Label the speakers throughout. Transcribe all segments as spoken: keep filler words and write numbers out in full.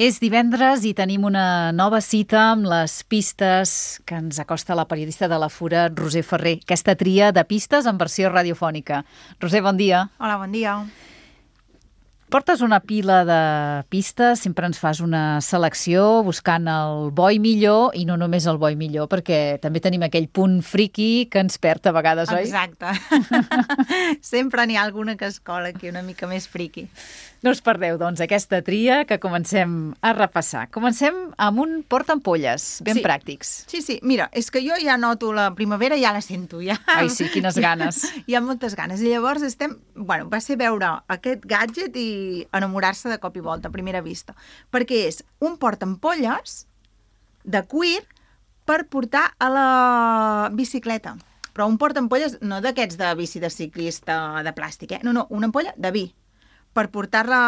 Speaker 1: És divendres i tenim una nova cita amb les pistes que ens acosta la periodista de la Fura, Roser Ferrer. Aquesta tria de pistes en versió radiofònica. Roser, bon dia.
Speaker 2: Hola, bon dia.
Speaker 1: Portes una pila de pistes, sempre ens fas una selecció buscant el bo i millor, i no només el bo i millor, perquè també tenim aquell punt friqui que ens perd a vegades, oi?
Speaker 2: Exacte. Sempre n'hi ha alguna que es cola aquí una mica més friqui.
Speaker 1: No us perdeu, doncs, aquesta tria que comencem a repassar. Comencem amb un portaampolles, ben
Speaker 2: Sí.
Speaker 1: pràctics.
Speaker 2: Sí, sí, mira, és que jo ja noto la primavera, ja la sento, ja.
Speaker 1: Ai, sí, quines ganes.
Speaker 2: Hi ha moltes ganes. I llavors estem... Bueno, va ser veure aquest gadget i enamorar-se de cop i volta, a primera vista. Perquè és un portaampolles de cuir per portar a la bicicleta. Però un portaampolles no d'aquests de bici de ciclista de plàstic, eh? No, no, una ampolla de vi per portar-la,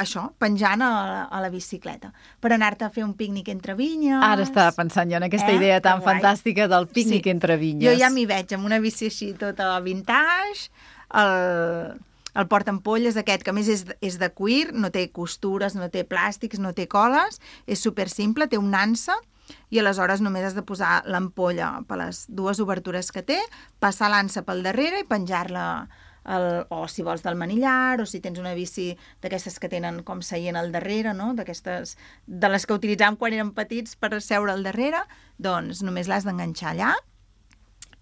Speaker 2: això, penjant a la, a la bicicleta, per anar-te a fer un pícnic entre vinyes.
Speaker 1: Ara estava pensant jo en aquesta
Speaker 2: Eh?
Speaker 1: idea tan
Speaker 2: Que guai.
Speaker 1: fantàstica del pícnic
Speaker 2: Sí.
Speaker 1: entre vinyes.
Speaker 2: Jo ja m'hi veig, amb una bici així tota vintage, el, el portaampolles aquest, que a més és, és de cuir, no té costures, no té plàstics, no té coles, és super simple, té un nansa, i aleshores només has de posar l'ampolla per les dues obertures que té, passar l'ansa pel darrere i penjar-la, el, o si vols del manillar, o si tens una bici d'aquestes que tenen com seient al darrere, no? D'aquestes, de les que utilitzàvem quan érem petits per seure al darrere, doncs només l'has d'enganxar allà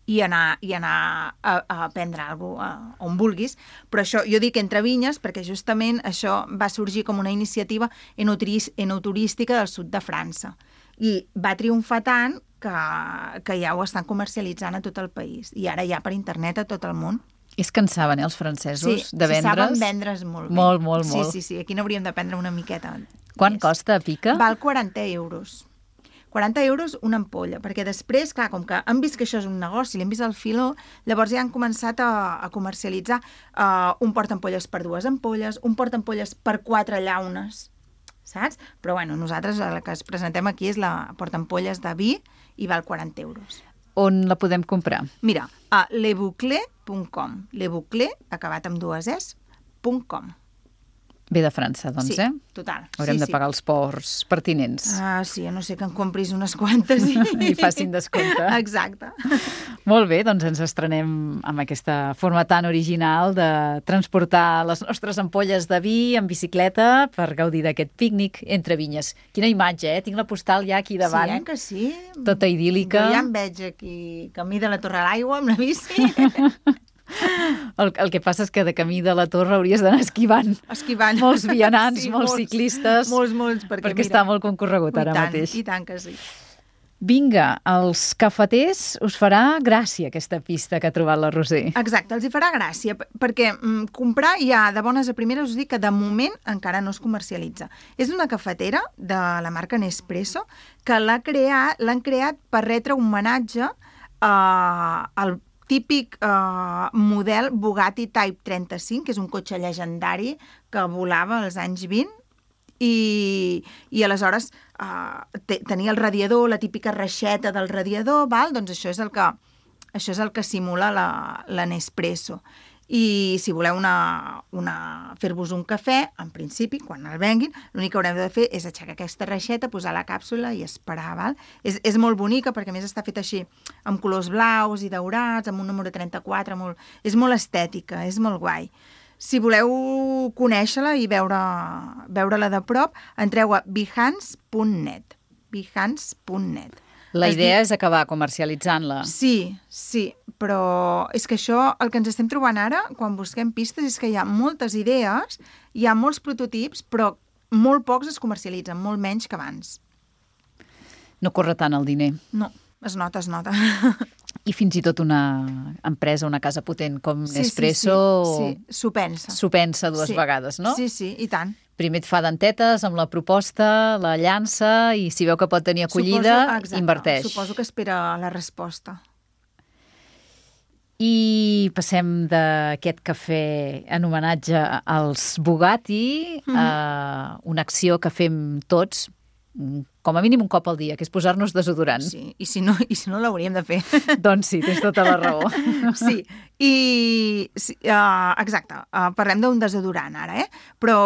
Speaker 2: i anar, i anar a, a prendre alguna cosa on vulguis. Però això, jo dic entre vinyes, perquè justament això va sorgir com una iniciativa enoturis- enoturística del sud de França. I va triomfar tant que, que ja ho estan comercialitzant a tot el país. I ara ja per internet a tot el món.
Speaker 1: És que en saben, eh, els francesos,
Speaker 2: Sí,
Speaker 1: de
Speaker 2: sí,
Speaker 1: vendre's.
Speaker 2: saben vendre's molt bé.
Speaker 1: Molt, molt,
Speaker 2: sí,
Speaker 1: molt.
Speaker 2: Sí, sí, aquí n'hauríem d'aprendre una miqueta.
Speaker 1: Quan
Speaker 2: més.
Speaker 1: costa, Pica?
Speaker 2: Val quaranta euros. quaranta euros una ampolla, perquè després, clar, com que han vist que això és un negoci, l'hem vist al filó, llavors ja han començat a, a comercialitzar uh, un portaampolles per dues ampolles, un portaampolles per quatre llaunes, saps? Però bueno, nosaltres la que es presentem aquí és la portaampolles de vi i val quaranta euros.
Speaker 1: On la podem comprar?
Speaker 2: Mira, a leboucler punt com, leboucler, acabat amb dues es, punt com.
Speaker 1: Ve de França, doncs,
Speaker 2: sí,
Speaker 1: eh?
Speaker 2: total.
Speaker 1: Haurem
Speaker 2: sí,
Speaker 1: de pagar
Speaker 2: sí.
Speaker 1: els ports pertinents.
Speaker 2: Ah, sí, a no sé que en compris unes quantes i...
Speaker 1: I facin descompte.
Speaker 2: Exacte.
Speaker 1: Molt bé, doncs ens estrenem amb aquesta forma tan original de transportar les nostres ampolles de vi en bicicleta per gaudir d'aquest pícnic entre vinyes. Quina imatge, eh? Tinc la postal ja aquí davant.
Speaker 2: Sí, eh, que sí?
Speaker 1: Tota idíl·lica.
Speaker 2: Jo ja em veig aquí, camí de la Torre a l'Aigua amb la bici.
Speaker 1: El, el que passa és que de camí de la Torre hauries d'anar esquivant.
Speaker 2: Esquivant.
Speaker 1: Molts vianants,
Speaker 2: Sí,
Speaker 1: molts,
Speaker 2: molts,
Speaker 1: ciclistes.
Speaker 2: Molts, molts, perquè,
Speaker 1: perquè
Speaker 2: mira,
Speaker 1: està molt concorregut ara
Speaker 2: i tant,
Speaker 1: mateix.
Speaker 2: I tant que sí.
Speaker 1: Vinga, als cafeters us farà gràcia aquesta pista que ha trobat la Roser.
Speaker 2: Exacte, els hi farà gràcia, p- perquè mm, comprar ja de bones a primeres us dic que de moment encara no es comercialitza. És una cafetera de la marca Nespresso que l'ha creat, l'han creat per retre un homenatge eh, al típic eh, model Bugatti Type trenta-cinc, que és un cotxe llegendari que volava als anys vint, i, i aleshores eh, te, tenia el radiador, la típica reixeta del radiador, val? Doncs això és el que, això és el que simula la, la Nespresso. I si voleu una, una, fer-vos un cafè, en principi, quan el venguin, l'únic que haureu de fer és aixecar aquesta reixeta, posar la càpsula i esperar, val? És, és molt bonica perquè a més està feta així amb colors blaus i daurats, amb un número trenta-quatre, molt, és molt estètica, és molt guai. Si voleu conèixer-la i veure, veure-la de prop, entreu a behance punt net. behance punt net.
Speaker 1: La
Speaker 2: Es
Speaker 1: idea
Speaker 2: diu-
Speaker 1: és acabar comercialitzant-la.
Speaker 2: Sí, sí, però és que això, el que ens estem trobant ara, quan busquem pistes, és que hi ha moltes idees, hi ha molts prototips, però molt pocs es comercialitzen, molt menys que abans.
Speaker 1: No corre tant el diner.
Speaker 2: No, es nota, es nota.
Speaker 1: I fins i tot una empresa, una casa potent com
Speaker 2: Sí,
Speaker 1: Nespresso
Speaker 2: sí, sí, sí. S'ho pensa.
Speaker 1: s'ho pensa dues
Speaker 2: Sí.
Speaker 1: vegades, no?
Speaker 2: Sí, sí, i tant.
Speaker 1: Primer et fa dentetes amb la proposta, la llança, i si veu que pot tenir acollida,
Speaker 2: Suposo, exacte,
Speaker 1: inverteix.
Speaker 2: Suposo que espera la resposta.
Speaker 1: I passem d'aquest cafè en homenatge als Bugatti
Speaker 2: Mhm.
Speaker 1: a una acció que fem tots, com a mínim un cop al dia, que és posar-nos desodorant.
Speaker 2: Sí, i si no, i si no l'hauríem de fer.
Speaker 1: Doncs sí, tens tota la raó.
Speaker 2: Sí, i sí, uh, exacte, uh, parlem d'un desodorant ara, eh? Però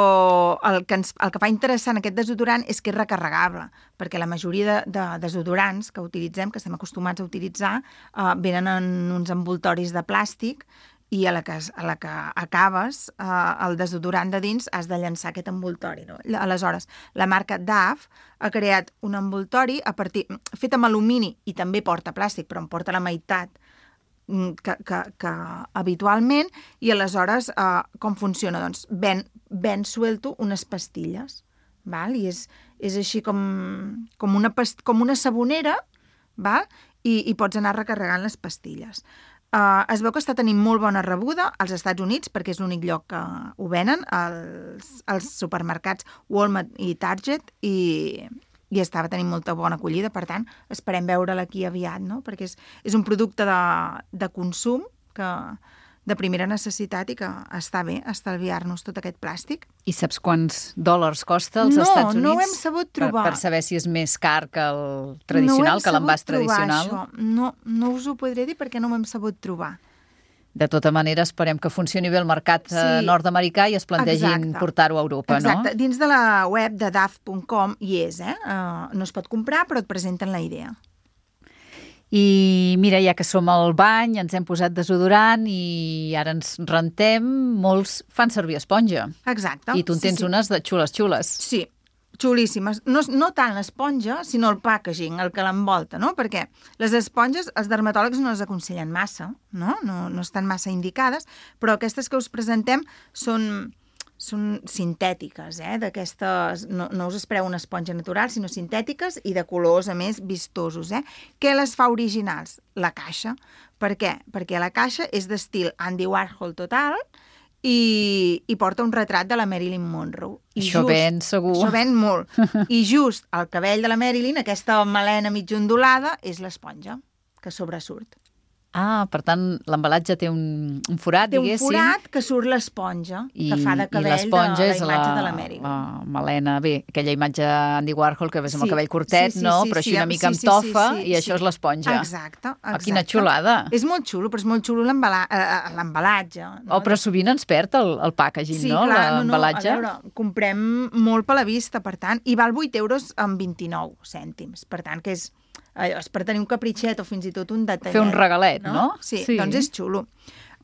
Speaker 2: el que, ens, el que fa interessant aquest desodorant és que és recarregable, perquè la majoria de, de desodorants que utilitzem, que estem acostumats a utilitzar, uh, venen en uns envoltoris de plàstic i a la que, a la que acabes eh, el desodorant de dins has de llançar aquest envoltori. No? Aleshores, la marca Dove ha creat un envoltori a partir, fet amb alumini i també porta plàstic, però en porta la meitat que, que, que habitualment, i aleshores eh, com funciona? Doncs ven, ven suelto unes pastilles, val? I és, és així com, com, una past com una sabonera, val? I, i pots anar recarregant les pastilles. Uh, es veu que està tenint molt bona rebuda als Estats Units, perquè és l'únic lloc que ho venen, als, als supermercats Walmart i Target, i, i estava tenint molta bona acollida. Per tant, esperem veure'l aquí aviat, no? Perquè és, és un producte de, de consum que, de primera necessitat i que està bé estalviar-nos tot aquest plàstic.
Speaker 1: I saps quants dòlars costa als
Speaker 2: no,
Speaker 1: Estats Units?
Speaker 2: No, no ho hem sabut trobar.
Speaker 1: Per, per saber si és més car que el tradicional,
Speaker 2: no
Speaker 1: que l'envàs tradicional?
Speaker 2: Això. No, no us ho podré dir perquè no ho hem sabut trobar.
Speaker 1: De tota manera, esperem que funcioni bé el mercat sí. nord-americà i es plantegin portar-ho a Europa,
Speaker 2: Exacte.
Speaker 1: no?
Speaker 2: Exacte. Dins de la web de dove punt com hi és, eh? Uh, no es pot comprar, però et presenten la idea.
Speaker 1: I mira, ja que som al bany, ens hem posat desodorant i ara ens rentem, molts fan servir esponja.
Speaker 2: Exacte.
Speaker 1: I tu en tens
Speaker 2: sí, sí.
Speaker 1: unes de xules-xules.
Speaker 2: Sí, xulíssimes. No, no tant l'esponja, sinó el packaging, el que l'envolta, no? Perquè les esponges, els dermatòlegs no les aconsellen massa, no? No, no estan massa indicades, però aquestes que us presentem són... són sintètiques, eh? D'aquestes, no, no us espereu una esponja natural, sinó sintètiques i de colors, a més, vistosos, eh? Què les fa originals? La caixa. Per què? Perquè la caixa és d'estil Andy Warhol total i, i porta un retrat de la Marilyn Monroe. I
Speaker 1: això
Speaker 2: just,
Speaker 1: ven, segur.
Speaker 2: Això ven molt. I just el cabell de la Marilyn, aquesta melena mig ondulada, és l'esponja que sobresurt.
Speaker 1: Ah, per tant, l'embalatge té un, un forat,
Speaker 2: té un
Speaker 1: diguéssim.
Speaker 2: Té un forat que surt l'esponja, que fa de cabell de la imatge la, de la Marilyn.
Speaker 1: La melena, bé, aquella imatge Andy Warhol que ves amb sí, el cabell curtet,
Speaker 2: sí, sí,
Speaker 1: no?
Speaker 2: Sí,
Speaker 1: però així
Speaker 2: sí,
Speaker 1: una mica
Speaker 2: sí,
Speaker 1: amb tofa
Speaker 2: sí, sí, sí,
Speaker 1: i això
Speaker 2: sí.
Speaker 1: és l'esponja.
Speaker 2: Exacte, exacte.
Speaker 1: Ah, quina xulada.
Speaker 2: És molt xulo, però és molt xulo l'embalatge. No?
Speaker 1: Oh, però sovint ens perd el, el packaging,
Speaker 2: sí,
Speaker 1: no?
Speaker 2: Clar,
Speaker 1: l'embalatge.
Speaker 2: No, no, a veure, comprem molt per la vista, per tant, i val vuit euros amb vint-i-nou cèntims, per tant, que és... és per tenir un capritxet o fins i tot un detallet.
Speaker 1: Fer un regalet, no?
Speaker 2: no? Sí, sí, doncs és xulo.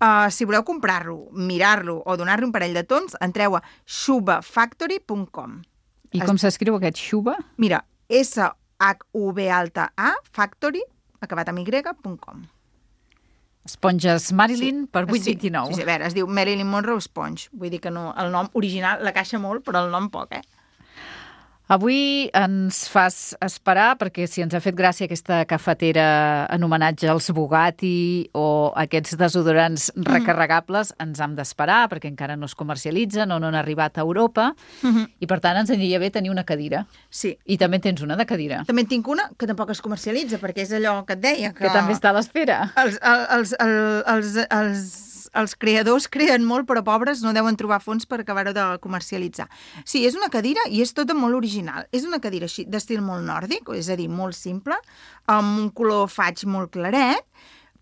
Speaker 2: Uh, si voleu comprar-lo, mirar-lo o donar-li un parell de tons, entreu a shuba factory punt com.
Speaker 1: I com s'escriu aquest Shuba?
Speaker 2: Mira, S H U B alta A, factory, acabat amb Y, punt com.
Speaker 1: Esponges Marilyn
Speaker 2: sí.
Speaker 1: per vuit coma vint-i-nou.
Speaker 2: Sí, sí, a veure, es diu Marilyn Monroe Sponge. Vull dir que no, el nom original la caixa molt, però el nom poc, eh?
Speaker 1: Avui ens fas esperar, perquè si ens ha fet gràcia aquesta cafetera en homenatge als Bugatti o aquests desodorants mm. recarregables, ens hem d'esperar, perquè encara no es comercialitzen o no han arribat a Europa, mm-hmm. i per tant ens aniria bé tenir una cadira.
Speaker 2: Sí.
Speaker 1: I també tens una de cadira.
Speaker 2: També en tinc una que tampoc es comercialitza, perquè és allò que et deia. Que,
Speaker 1: que també està a l'espera.
Speaker 2: Els, els, els, els, els, els creadors creen molt, però pobres no deuen trobar fons per acabar-ho de comercialitzar. Sí, és una cadira i és tota molt original. És una cadira així d'estil molt nòrdic, és a dir, molt simple, amb un color faig molt claret,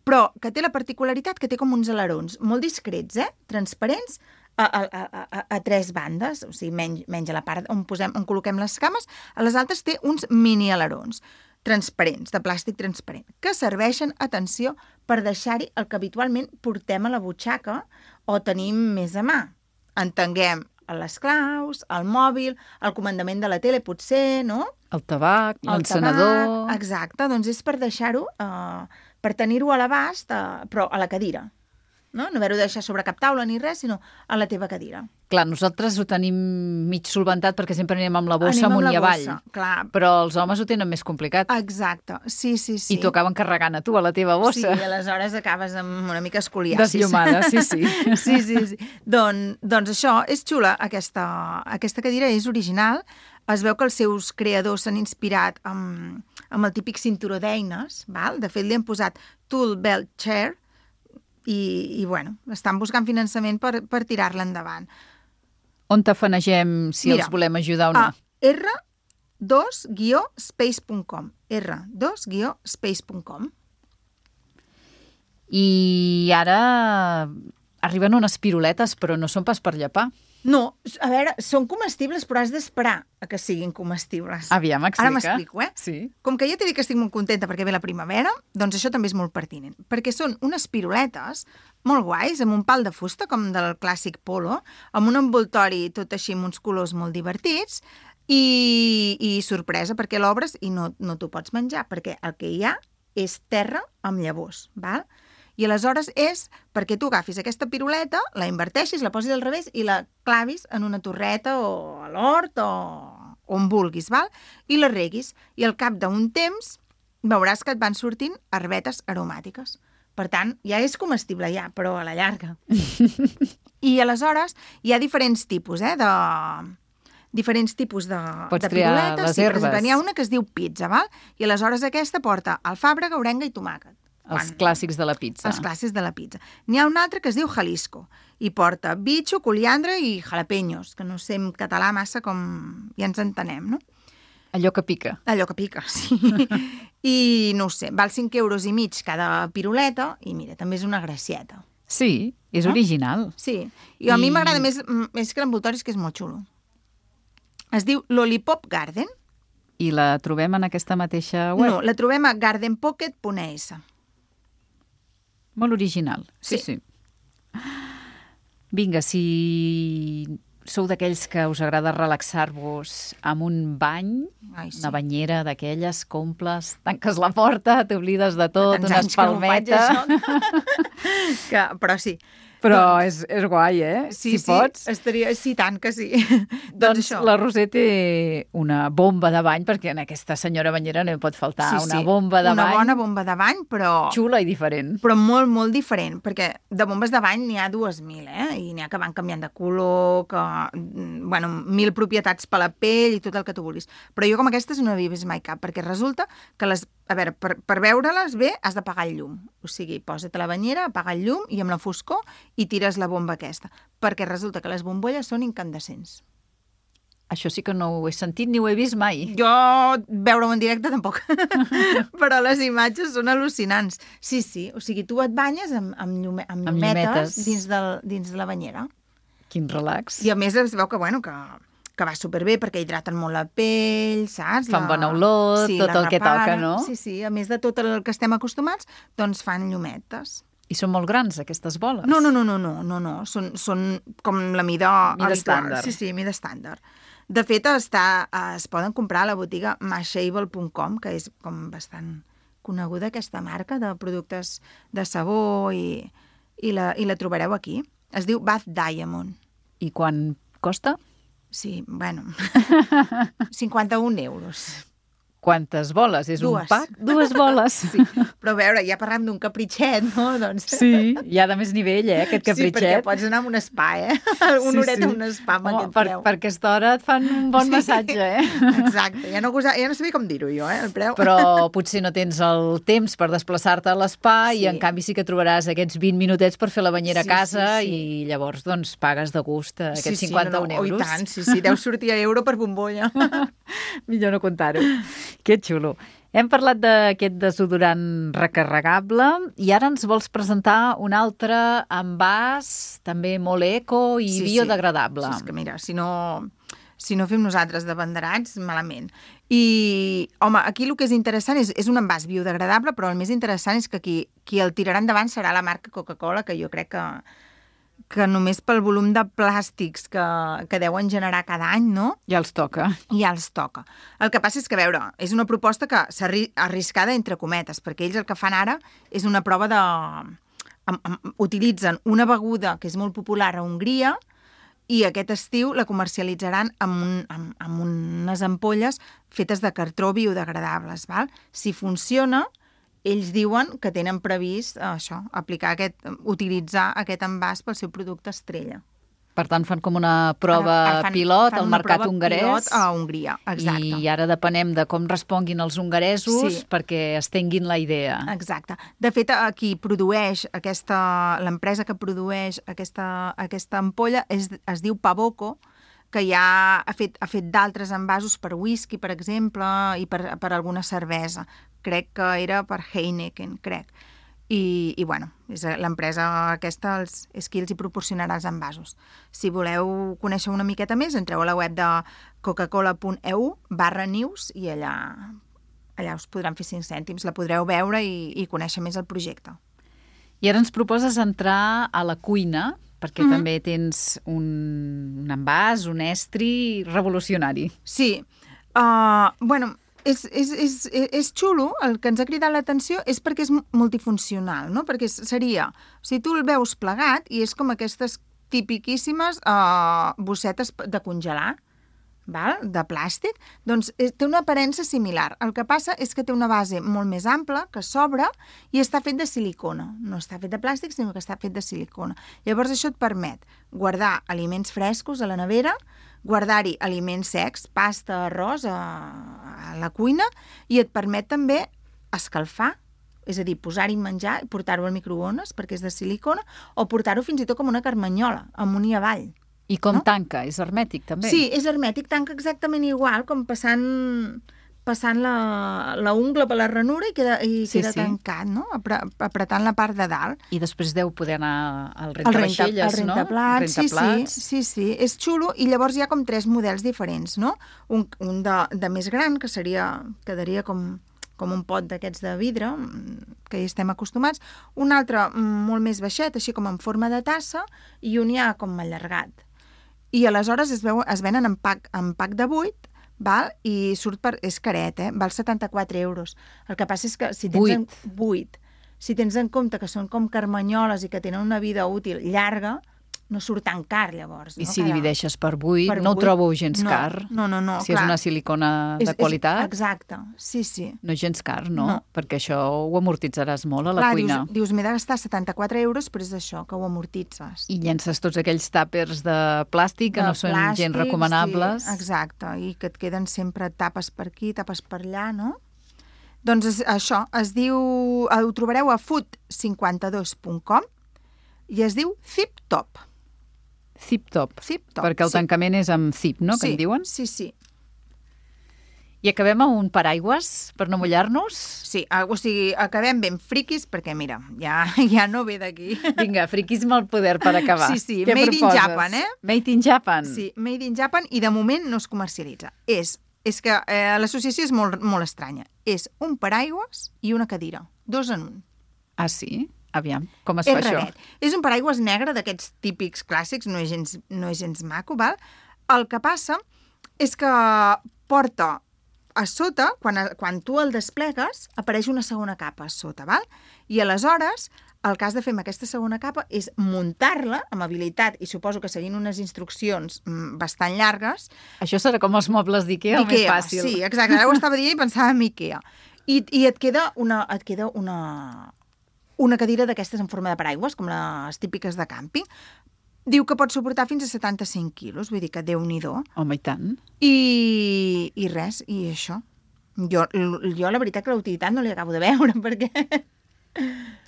Speaker 2: però que té la particularitat que té com uns alerons molt discrets, eh? Transparents, a, a, a, a, a tres bandes, o sigui, menys, menys a la part on, posem, on col·loquem les cames, a les altres té uns mini alerons transparents, de plàstic transparent, que serveixen, atenció, per deixar-hi el que habitualment portem a la butxaca o tenim més a mà. Entenguem les claus, el mòbil, el comandament de la tele, potser, no?
Speaker 1: El tabac, l'encenedor...
Speaker 2: Exacte, doncs és per deixar-ho, eh, per tenir-ho a l'abast, eh, però a la cadira. No, no haver-ho de deixar sobre cap taula ni res, sinó a la teva cadira.
Speaker 1: Clar, nosaltres ho tenim mig solventat perquè sempre anem amb la bossa amunt i avall.
Speaker 2: Clar.
Speaker 1: Però els homes ho tenen més complicat.
Speaker 2: Exacte, sí, sí, sí.
Speaker 1: I t'ho acaben carregant a tu, a la teva bossa.
Speaker 2: Sí, i aleshores acabes amb una mica escoliasis.
Speaker 1: Desllumada, sí, sí.
Speaker 2: sí, sí, sí. Don, doncs això, és xula, aquesta, aquesta cadira és original. Es veu que els seus creadors s'han inspirat amb, amb el típic cinturó d'eines, val? De fet, li han posat Tool Belt Chair, i, i bueno, estan buscant finançament per, per tirar-la endavant.
Speaker 1: On t'afanegem si Mira, els volem ajudar o no?
Speaker 2: A R dos guió space punt com. R dos guió space punt com.
Speaker 1: I ara arriben unes piruletes, però no són pas per llepar.
Speaker 2: No, a veure, són comestibles, però has d'esperar a que siguin comestibles.
Speaker 1: Aviam, explica.
Speaker 2: Ara m'explico, eh?
Speaker 1: Sí.
Speaker 2: Com que ja t'he dit que estic molt contenta perquè ve la primavera, doncs això també és molt pertinent. Perquè són unes piruletes molt guais, amb un pal de fusta, com del clàssic polo, amb un envoltori tot així amb uns colors molt divertits, i, i sorpresa, perquè l'obres i no, no t'ho pots menjar, perquè el que hi ha és terra amb llavors, val? I aleshores és perquè tu agafis aquesta piruleta, la inverteixis, la posis al revés i la clavis en una torreta o a l'hort o on vulguis, val? I la reguis. I al cap d'un temps veuràs que et van sortint herbetes aromàtiques. Per tant, ja és comestible ja, però a la llarga. I aleshores hi ha diferents tipus, eh, de... diferents tipus de,
Speaker 1: Pots
Speaker 2: de
Speaker 1: triar
Speaker 2: piruletes.
Speaker 1: les
Speaker 2: Sí, per
Speaker 1: herbes.
Speaker 2: exemple, n'hi ha una que es diu pizza, val? I aleshores aquesta porta alfàbrega, orenga i tomàquet.
Speaker 1: Els
Speaker 2: Quan-
Speaker 1: clàssics de la pizza.
Speaker 2: Els clàssics de la pizza. N'hi ha un altre que es diu Jalisco i porta bitxo, coliandre i jalapeños, que no sé en català massa com ja ens entenem, no?
Speaker 1: Allò que pica.
Speaker 2: Allò que pica, sí. I no ho sé, val cinc euros i mig cada piruleta i mira, també és una gracieta.
Speaker 1: Sí, és
Speaker 2: No?
Speaker 1: original.
Speaker 2: Sí, i a mi
Speaker 1: I-
Speaker 2: m'agrada més, més que l'envoltori, és que és molt xulo. Es diu Lollipop Garden.
Speaker 1: I la trobem en aquesta mateixa web?
Speaker 2: No, la trobem a garden pocket punt es.
Speaker 1: Molt original. Sí,
Speaker 2: Sí.
Speaker 1: sí. Vinga, si sou d'aquells que us agrada relaxar-vos amb un bany,
Speaker 2: Ai, sí.
Speaker 1: una banyera d'aquelles, comples, tanques la porta, t'oblides de tot,
Speaker 2: Tants
Speaker 1: una
Speaker 2: anys que no ho faig,
Speaker 1: espalmeta...
Speaker 2: això. que, però sí.
Speaker 1: Però és, és guai, eh?
Speaker 2: Sí,
Speaker 1: si
Speaker 2: sí,
Speaker 1: pots.
Speaker 2: estaria... Sí, tant que sí.
Speaker 1: Doncs
Speaker 2: això.
Speaker 1: la Roser té una bomba de bany, perquè en aquesta senyora banyera no hi pot faltar
Speaker 2: Sí,
Speaker 1: una
Speaker 2: sí,
Speaker 1: bomba de
Speaker 2: una
Speaker 1: bany
Speaker 2: bona bomba de bany, però...
Speaker 1: xula i diferent.
Speaker 2: però molt, molt diferent, perquè de bombes de bany n'hi ha dues mil, eh? I n'hi ha que van canviant de color, que, mm, bueno, mil propietats per la pell i tot el que tu vulguis. Però jo com aquestes no havia vist mai cap, perquè resulta que les... A veure, per, per veure-les bé has d'apagar el llum. O sigui, posa't a la banyera, apaga el llum i amb la foscor i tires la bomba aquesta. Perquè resulta que les bombolles són incandescents.
Speaker 1: Això sí que no ho he sentit ni ho he vist mai.
Speaker 2: Jo veure-ho en directe tampoc, però les imatges són al·lucinants. Sí, sí, o sigui, tu et banyes amb, amb, llume, amb,
Speaker 1: Amb
Speaker 2: llumetes,
Speaker 1: llumetes.
Speaker 2: dins, del, dins de la banyera.
Speaker 1: Quin relax.
Speaker 2: I a més es veu que, bueno, que, que va superbé perquè hidraten molt la pell, saps?
Speaker 1: Fan
Speaker 2: La-
Speaker 1: bona olor, tot
Speaker 2: la
Speaker 1: el que toca,
Speaker 2: reparen.
Speaker 1: no?
Speaker 2: Sí, sí, a més de tot el que estem acostumats, doncs fan llumetes.
Speaker 1: I són molt grans, aquestes boles.
Speaker 2: No, no, no, no, no, no, no. Són, són com la mida,
Speaker 1: Mida
Speaker 2: habitual.
Speaker 1: estàndard.
Speaker 2: Sí, sí, mida estàndard. De fet, està, es poden comprar a la botiga mashable punt com, que és com bastant coneguda aquesta marca de productes de sabó i, i, la, i la trobareu aquí. Es diu Bath Diamond.
Speaker 1: I quan costa?
Speaker 2: Sí, bueno, cinquanta-un euros.
Speaker 1: Quantes boles? És
Speaker 2: Dues.
Speaker 1: un pack? Dues boles.
Speaker 2: Sí, però a veure, ja parlem d'un capritxet, no? Doncs...
Speaker 1: Sí, hi ha de més nivell, eh, aquest
Speaker 2: Sí, perquè
Speaker 1: capritxet.
Speaker 2: pots anar a un spa, eh? Un horet a un spa amb
Speaker 1: Home,
Speaker 2: aquest
Speaker 1: per,
Speaker 2: preu.
Speaker 1: per aquesta hora et fan un bon
Speaker 2: Sí.
Speaker 1: massatge, eh?
Speaker 2: Exacte, ja no, gosa, ja no sabia com dir-ho jo, eh, el preu.
Speaker 1: Però potser no tens el temps per desplaçar-te a l'espa
Speaker 2: Sí.
Speaker 1: i en canvi sí que trobaràs aquests vint minutets per fer la banyera
Speaker 2: Sí,
Speaker 1: a casa
Speaker 2: sí, sí.
Speaker 1: i llavors doncs pagues de gust aquests
Speaker 2: sí, sí,
Speaker 1: cinquanta-un
Speaker 2: no, no,
Speaker 1: euros.
Speaker 2: Oh, i tant, sí, sí, deu sortir a euro per bombolla.
Speaker 1: Millor no contar-ho. Que xulo. Hem parlat d'aquest desodorant recarregable i ara ens vols presentar un altre envàs també molt eco i
Speaker 2: Sí, sí.
Speaker 1: biodegradable.
Speaker 2: Sí, és que mira, si no, si no fem nosaltres de banderats, malament. I, home, aquí el que és interessant és, és un envàs biodegradable, però el més interessant és que qui, qui el tirarà endavant serà la marca Coca-Cola, que jo crec que, que només pel volum de plàstics que, que deuen generar cada any, no?,
Speaker 1: Ja els toca.
Speaker 2: ja els toca. El que passa és que, a veure, és una proposta que s'ha arri- arriscada entre cometes, perquè ells el que fan ara és una prova de... Am, am, utilitzen una beguda que és molt popular a Hongria i aquest estiu la comercialitzaran amb, un, amb, amb unes ampolles fetes de cartró biodegradables, val? Si funciona, ells diuen que tenen previst eh, això, aplicar aquest, utilitzar aquest envàs pel seu producte estrella.
Speaker 1: Per tant, fan com una prova
Speaker 2: Ara fan-
Speaker 1: pilot
Speaker 2: fan
Speaker 1: al
Speaker 2: una
Speaker 1: mercat
Speaker 2: prova
Speaker 1: hongarès.
Speaker 2: pilot a Hongria, exacte.
Speaker 1: I ara depenem de com responguin els hongaresos
Speaker 2: Sí.
Speaker 1: perquè estenguin la idea.
Speaker 2: Exacte. De fet, a qui produeix aquesta... l'empresa que produeix aquesta, aquesta ampolla és, es diu Pavoco, que ja ha fet, ha fet d'altres envasos per whisky, per exemple, i per, per alguna cervesa. Crec que era per Heineken, crec. I, i bueno, és l'empresa aquesta els, és qui els hi proporcionarà els envasos. Si voleu conèixer una miqueta més, entreu a la web de coca-cola punt e u barra news i allà, allà us podran fer cinc cèntims, la podreu veure i, i conèixer més el projecte.
Speaker 1: I ara ens proposes entrar a la cuina, perquè mm-hmm. també tens un, un envàs, un estri revolucionari.
Speaker 2: Sí, uh, bueno... És, és, és, és xulo, el que ens ha cridat l'atenció és perquè és multifuncional, no? Perquè seria, o sigui, tu el veus plegat i és com aquestes tipiquíssimes uh, bossetes de congelar, val? De plàstic, doncs és, té una aparença similar. El que passa és que té una base molt més ampla, que s'obre i està fet de silicona. No està fet de plàstic, sinó que està fet de silicona. Llavors això et permet guardar aliments frescos a la nevera, guardar-hi aliments secs, pasta, arròs a, a la cuina, i et permet també escalfar, és a dir, posar-hi menjar i portar-ho al microones perquè és de silicona, o portar-ho fins i tot com una carmanyola, amunt i avall.
Speaker 1: I com
Speaker 2: no?
Speaker 1: Tanca? És hermètic, també?
Speaker 2: Sí, és hermètic, tanca exactament igual, com passant, passant la, la ungla per la ranura i queda, i
Speaker 1: sí,
Speaker 2: queda
Speaker 1: sí.
Speaker 2: tancat, no? Apre, apretant la part de dalt.
Speaker 1: I després deu poder anar al rentavaixelles,
Speaker 2: el
Speaker 1: no?
Speaker 2: Rentaplats,
Speaker 1: Rentaplats.
Speaker 2: sí, sí, sí, sí, és xulo, i llavors hi ha com tres models diferents, no? Un, un de, de més gran, que seria, quedaria com, com un pot d'aquests de vidre, que hi estem acostumats, un altre molt més baixet, així com en forma de tassa, i un ja com allargat. I aleshores es, veu, es venen en pack, en pack de vuit, val? I surt per... és caret, eh? Val setanta-quatre euros. El que passa és que si tens en, vuit, si tens en compte que són com carmanyoles i que tenen una vida útil llarga, no surt tan car, llavors.
Speaker 1: I
Speaker 2: no?
Speaker 1: si
Speaker 2: Cada...
Speaker 1: divideixes per vuit,
Speaker 2: per
Speaker 1: no ho
Speaker 2: vuit,
Speaker 1: trobo gens
Speaker 2: no,
Speaker 1: car.
Speaker 2: No, no, no,
Speaker 1: Si
Speaker 2: clar.
Speaker 1: és una silicona de
Speaker 2: és,
Speaker 1: qualitat.
Speaker 2: És, exacte, sí, sí.
Speaker 1: No és gens car, no?
Speaker 2: No.
Speaker 1: Perquè això ho amortitzaràs molt a la
Speaker 2: clar,
Speaker 1: cuina.
Speaker 2: Dius, dius m'he de gastar setanta-quatre euros, però és això, que ho amortitzes.
Speaker 1: I llences tots aquells tàpers de plàstic que
Speaker 2: de
Speaker 1: no són
Speaker 2: plàstic,
Speaker 1: gens recomanables.
Speaker 2: Sí, exacte, i que et queden sempre tapes per aquí, tapes per allà, no? Doncs és, això, es diu... Ho trobareu a food cinquanta-dos punt com i es diu Zip Top.
Speaker 1: Zip Top.
Speaker 2: Zip Top,
Speaker 1: Perquè el
Speaker 2: sí.
Speaker 1: tancament és amb zip, no?, que
Speaker 2: sí,
Speaker 1: en diuen.
Speaker 2: Sí, sí.
Speaker 1: I acabem amb un paraigües per no mullar-nos?
Speaker 2: Sí, o sigui, acabem ben friquis, perquè mira, ja, ja no ve d'aquí.
Speaker 1: Vinga, friquisme al poder per acabar.
Speaker 2: Sí, sí,
Speaker 1: Què
Speaker 2: made in
Speaker 1: proposes?
Speaker 2: Japan, eh?
Speaker 1: Made in Japan.
Speaker 2: Sí, made in Japan, i de moment no es comercialitza. És, és que eh, l'associació és molt, molt estranya. És un paraigües i una cadira, dos en un.
Speaker 1: Ah, sí? Aviam, com es
Speaker 2: és
Speaker 1: fa
Speaker 2: raret.
Speaker 1: això?
Speaker 2: És un paraigües negre d'aquests típics clàssics, no és gens, no és gens maco, val? El que passa és que porta a sota, quan, quan tu el desplegues, apareix una segona capa a sota, val? I aleshores, el que has de fer amb aquesta segona capa és muntar-la amb habilitat, i suposo que seguint unes instruccions mm, bastant llargues.
Speaker 1: Això serà com els mobles d'Ikea, o més fàcil?
Speaker 2: Sí, exacte. Ara ho estava dient i pensava en Ikea. I, i et queda una... Et queda una una cadira d'aquestes en forma de paraigües, com les típiques de càmping. Diu que pot suportar fins a setanta-cinc quilos, vull dir que Déu-n'hi-do.
Speaker 1: Home, i tant.
Speaker 2: I, i res, i això. Jo, jo la veritat que la utilitat no li acabo de veure, perquè...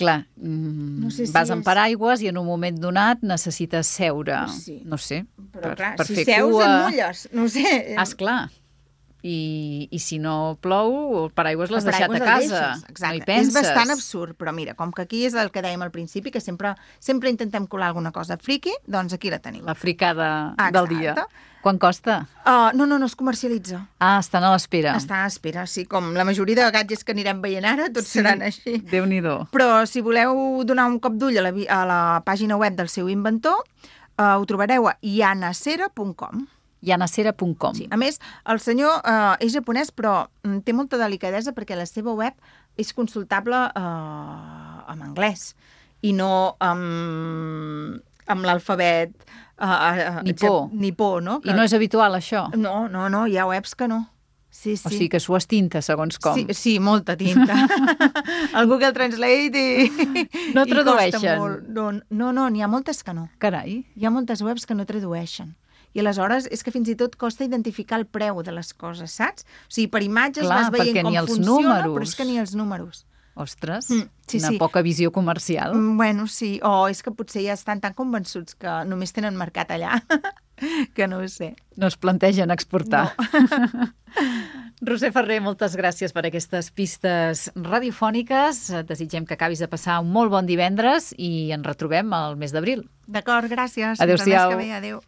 Speaker 1: Clar, mm,
Speaker 2: no sé si
Speaker 1: vas amb
Speaker 2: és...
Speaker 1: paraigües i en un moment donat necessites seure.
Speaker 2: Sí.
Speaker 1: No sé.
Speaker 2: Però
Speaker 1: per,
Speaker 2: clar,
Speaker 1: per
Speaker 2: si
Speaker 1: fer
Speaker 2: seus
Speaker 1: cua...
Speaker 2: en mulles, no ho sé.
Speaker 1: Ah, esclar. I, I si no plou, el paraigües l'has
Speaker 2: El
Speaker 1: deixat a
Speaker 2: paraigües el
Speaker 1: casa.
Speaker 2: deixes, exacte.
Speaker 1: No hi penses.
Speaker 2: És bastant absurd, però mira, com que aquí és el que dèiem al principi, que sempre, sempre intentem colar alguna cosa friki, doncs aquí la teniu.
Speaker 1: La fricada
Speaker 2: Exacte.
Speaker 1: del dia. Quan costa?
Speaker 2: Uh, no, no, no es comercialitza.
Speaker 1: Ah, estan a l'espera.
Speaker 2: Està a l'espera, sí, com la majoria de gadgets que anirem veient ara, tots
Speaker 1: Sí,
Speaker 2: seran així.
Speaker 1: Déu-n'hi-do.
Speaker 2: Però si voleu donar un cop d'ull a, la, a la pàgina web del seu inventor, uh, ho trobareu a yanacera punt com.
Speaker 1: yanacera punt com.
Speaker 2: Sí. A més, el senyor uh, és japonès, però mm, té molta delicadesa perquè la seva web és consultable uh, en anglès i no amb, amb l'alfabet uh, uh,
Speaker 1: Nipó.
Speaker 2: nipó, no? Que...
Speaker 1: I no és habitual, això?
Speaker 2: No, no, no, hi ha webs que no. Sí, sí.
Speaker 1: O sigui que s'ho estinta, segons com.
Speaker 2: Sí, sí, molta tinta. El Google Translate i...
Speaker 1: No
Speaker 2: i
Speaker 1: tradueixen.
Speaker 2: costa molt. No, no, no, n'hi ha moltes que no.
Speaker 1: Carai.
Speaker 2: Hi ha moltes webs que no tradueixen. I aleshores és que fins i tot costa identificar el preu de les coses, saps? O sigui, per imatges
Speaker 1: Clar,
Speaker 2: vas veient
Speaker 1: perquè
Speaker 2: com
Speaker 1: ni els
Speaker 2: funciona,
Speaker 1: números.
Speaker 2: però és que ni els números.
Speaker 1: Ostres,
Speaker 2: Mm, sí,
Speaker 1: una
Speaker 2: sí.
Speaker 1: poca visió comercial.
Speaker 2: Mm, Bueno, sí. O és que potser ja estan tan convençuts que només tenen mercat allà, que no ho sé.
Speaker 1: No es plantegen exportar.
Speaker 2: No.
Speaker 1: Roser Ferrer, moltes gràcies per aquestes pistes radiofòniques. Et desitgem que acabis de passar un molt bon divendres i ens retrobem al mes d'abril.
Speaker 2: D'acord, gràcies.
Speaker 1: Adéu-siau.
Speaker 2: Fins al mes que ve. Adéu.